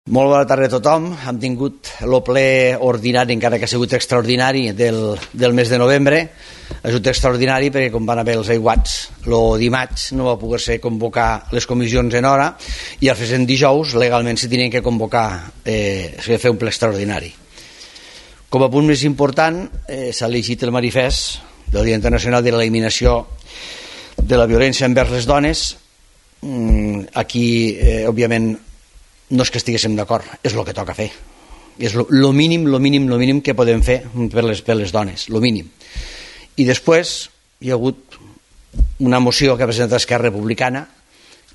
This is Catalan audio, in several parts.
Molt bona tarda a tothom. Hem tingut el ple ordinari, encara que ha sigut extraordinari, del mes de novembre. Ha sigut extraordinari perquè, com van haver els aiguats, el dimarts no va poder ser convocar les comissions en hora i el present dijous legalment s'hi tenien que convocar, s'ha de fer un ple extraordinari. Com a punt més important, s'ha llegit el manifest del Dia Internacional de l'Eliminació de la Violència envers les Dones. Aquí, òbviament, no és que estiguéssim d'acord, és el que toca fer. És el mínim que podem fer per les dones, el mínim. I després hi ha hagut una moció que ha presentat Esquerra Republicana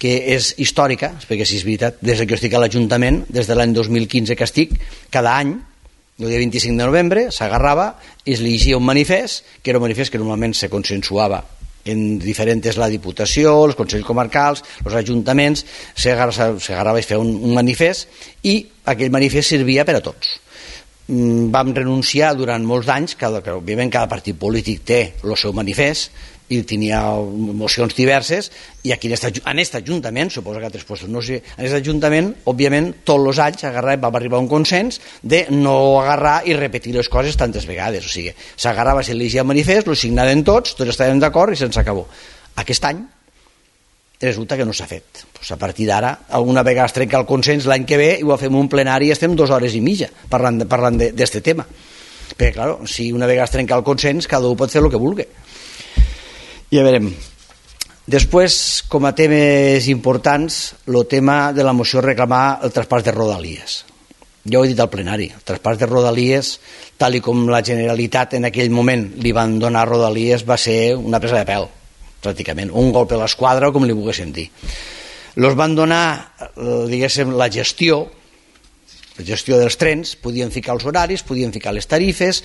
que és històrica, perquè si és veritat, des que jo estic a l'Ajuntament, des de l'any 2015 que estic, cada any, el dia 25 de novembre, s'agarrava i es llegia un manifest, que era un manifest que normalment se consensuava en diferents, la Diputació, els Consells Comarcals, els Ajuntaments, s'agarrava i feia un manifest i aquell manifest servia per a tots. Vam renunciar durant molts anys, que òbviament cada partit polític té el seu manifest i tenia mocions diverses, i aquí en aquest Ajuntament, suposo que a altres llocs no sé, en aquest Ajuntament, òbviament, tots els anys vam arribar a un consens de no agarrar i repetir les coses tantes vegades. O sigui, s'agarrava, s'elegia el manifest, lo signaven tots estàvem d'acord i se'ns acabó. Aquest any resulta que no s'ha fet. Pues a partir d'ara, alguna vegada es trenca el consens, l'any que ve i ho fem un plenari i estem 2 hores i mitja parlant d'aquest tema. Perquè, clar, si una vegada es trenca el consens, cada un pot fer el que vulgui. Ja veurem. Després, com a temes importants, el tema de la moció reclamar el traspàs de Rodalies. Ja ho he dit al plenari, el traspàs de Rodalies, tal i com la Generalitat en aquell moment li van donar Rodalies, va ser una presa de pèl, pràcticament, un golpe a l'esquadra o com li volguessin dir. Els van donar, diguéssim, la gestió dels trens, podien ficar els horaris, podien ficar les tarifes,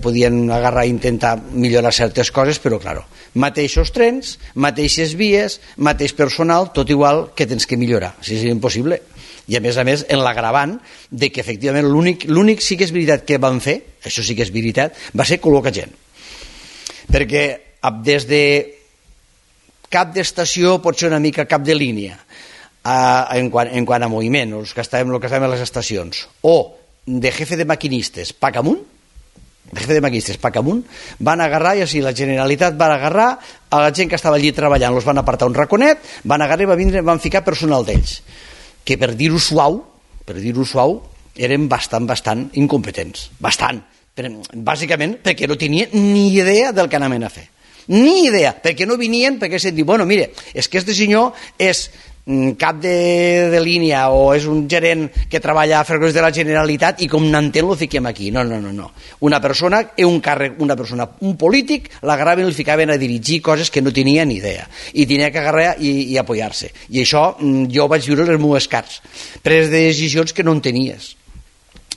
podien agarrar i intentar millorar certes coses, però, clar, mateixos trens, mateixes vies, mateix personal, tot igual que tens que millorar, si és impossible. I a més, en l'agravant de que efectivament l'únic sí que és veritat que van fer, això sí que és veritat, va ser col·locar gent. Perquè des de cap d'estació pot ser una mica cap de línia, en quant a moviment, els que estàvem a les estacions, o de jefe de maquinistes Pacamunt, van agarrar, i així la Generalitat va agarrar a la gent que estava allí treballant, els van apartar un raconet, van agarrar i van ficar personal d'ells, que per dir-ho suau, eren bastant incompetents, bàsicament perquè no tenien ni idea del que anaven a fer, ni idea, perquè no venien, perquè s'han dit, bueno, mire, és que este senyor és cap de línia o és un gerent que treballa a Ferrocarrils de la Generalitat i com n'entén lo fiquem aquí. No. Una persona, un polític, l'agarraven i el ficaven a dirigir coses que no tenia ni idea i tenia que agarrar i apoyar-se. I això jo vaig viure les meves carts, pres de decisions que no en tenies.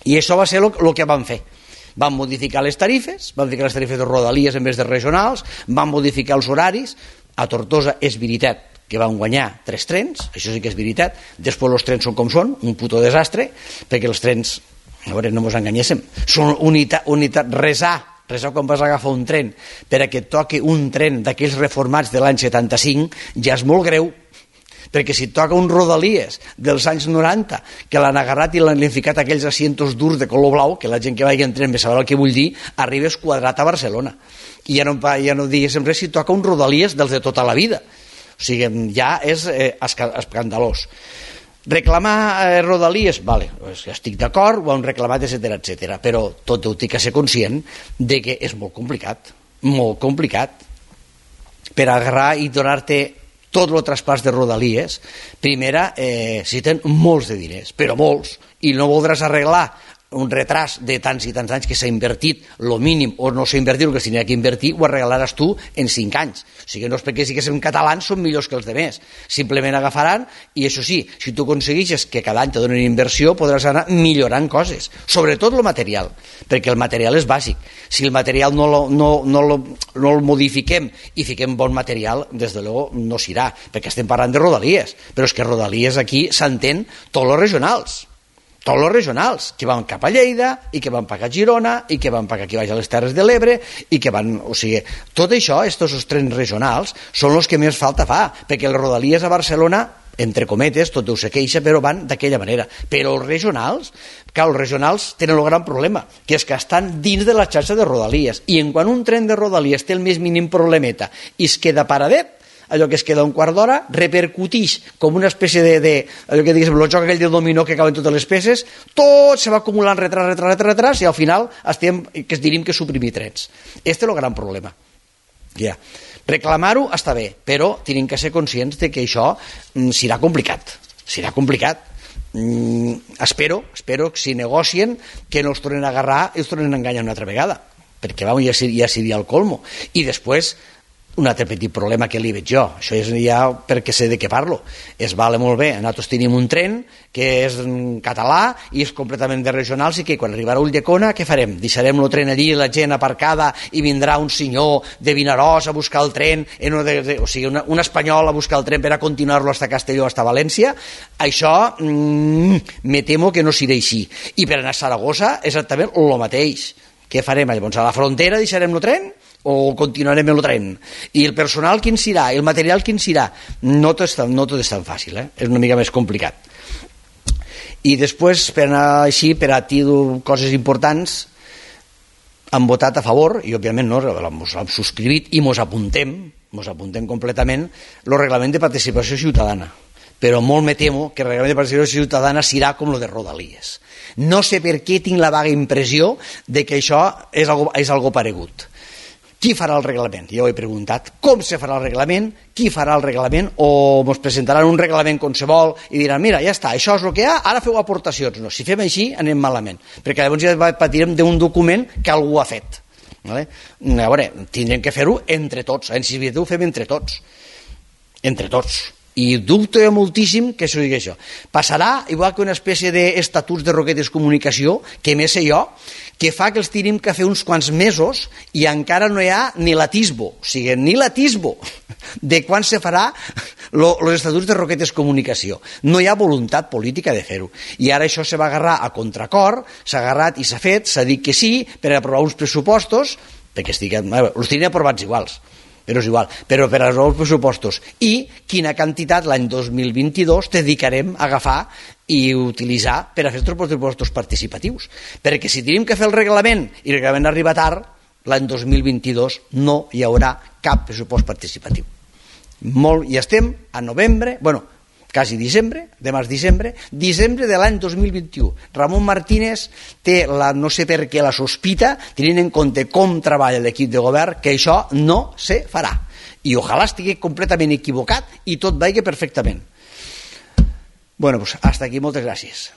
I això va ser el que van fer. Van modificar les tarifes, van ficar les tarifes de Rodalies en vez de regionals, van modificar els horaris. A Tortosa és veritat que van guanyar 3 trens, això sí que és veritat. Després els trens són com són, un puto desastre, perquè els trens, a veure, no ens enganyéssim, són unitat, resar quan vas agafar un tren per a que et toqui un tren d'aquells reformats de l'any 75 ja és molt greu, perquè si et toca un Rodalies dels anys 90 que l'han agarrat i l'han ficat aquells asientos durs de color blau, que la gent que vagi en tren sabrà el que vull dir, arribes quadrat a Barcelona i ja no diguéssim res si toca un Rodalies dels de tota la vida. O sigui, ja és escandalós. Reclamar Rodalies, vale, estic d'acord, ho han reclamat, etc. Però tot ho tinc que ser conscient de que és molt complicat per agarrar i donar-te tot el traspàs de Rodalies. Primera, necessiten molts de diners, però molts, i no voldràs arreglar un retras de tants i tants anys que s'ha invertit el mínim o no s'ha invertit el que s'hauria que invertir, ho arreglaràs tu en 5 anys. O sigui, no és perquè siguéssim catalans són millors que els altres, simplement agafaran i això sí, si tu aconsegueixes que cada any te donen inversió podràs anar millorant coses, sobretot el material, perquè el material és bàsic. Si el material no el modifiquem i fiquem bon material, des de luego no s'irà, perquè estem parlant de Rodalies, però és que Rodalies aquí s'entén tots els regionals, que van cap a Lleida i que van cap a Girona i que van cap aquí baix a les Terres de l'Ebre i que van, o sigui, tot això, aquests trens regionals són els que més falta fa, perquè les Rodalies a Barcelona entre cometes, tot Déu se queixa, però van d'aquella manera. Però els regionals tenen el gran problema, que és que estan dins de la xarxa de rodalies, i en quan un tren de rodalies té el més mínim problemeta i es queda paradet, allò que es queda un quart d'hora, repercutix com una espècie allò que diguéssim, el joc aquell de dominó que acaben totes les peces, tot se va acumulant retras, i al final que diríem que suprimir trens. Este és el gran problema. Ja. Reclamar-ho està bé, però tenim que ser conscients de que això serà complicat. Espero que si negocien que no els tornen a agarrar i els tornen a enganyar una altra vegada, perquè ja seria el colmo. I després un altre petit problema que li veig jo, això és ja perquè sé de què parlo, és vale molt bé, nosaltres tenim un tren que és en català i és completament de regionals, i que quan arribarà a Ulldecona què farem? Deixarem el tren allí, la gent aparcada, i vindrà un senyor de Vinaròs a buscar el tren, o sigui, un espanyol a buscar el tren per a continuar-lo fins a Castelló, fins a València? Això me temo que no serà així. I per anar a Saragossa exactament el mateix. Què farem? Llavors a la frontera deixarem el tren o continuarem el tren? I el personal quin serà? El material quin serà? No tot és tan fàcil, és una mica més complicat. I després, per anar així, per a dir coses importants, han votat a favor, i òbviament no, mos hem subscrit i mos apuntem completament el reglament de participació ciutadana. Però molt me temo que el reglament de participació ciutadana serà com el de Rodalies. No sé per què tinc la vaga impressió de que això és algo paregut. Qui farà el reglament? Jo ho he preguntat. Com se farà el reglament? Qui farà el reglament? O ens presentaran un reglament qualsevol i diran, mira, ja està, això és el que hi ha, ara feu aportacions. No, si fem així anem malament, perquè llavors ja patirem d'un document que algú ha fet. Vale? A veure, tindrem que fer-ho entre tots. En Civitat ho fem entre tots. I dubto moltíssim que això digui això. Passarà igual que una espècie d'estatuts de Roquetes Comunicació, que més sé jo, que fa que els tenim que fer uns quants mesos i encara no hi ha ni l'atisbo, o sigui, ni l'atisbo de quan se farà els estatuts de Roquetes Comunicació. No hi ha voluntat política de fer-ho. I ara això se va agarrar a contracor, s'ha agarrat i s'ha fet, s'ha dit que sí per aprovar uns pressupostos, perquè els tenien aprovats iguals, però és igual, però per als nous pressupostos. I quina quantitat l'any 2022 dedicarem a agafar i utilitzar per a fer els pressupostos participatius, perquè si tenim que fer el reglament i el reglament arriba tard, l'any 2022 no hi haurà cap pressupost participatiu. Ja estem a novembre, quasi desembre, demà és desembre de l'any 2021. Ramon Martínez té, no sé per què, la sospita, tenint en compte com treballa l'equip de govern, que això no se farà. I ojalà estigui completament equivocat i tot vagi perfectament. Hasta aquí, moltes gràcies.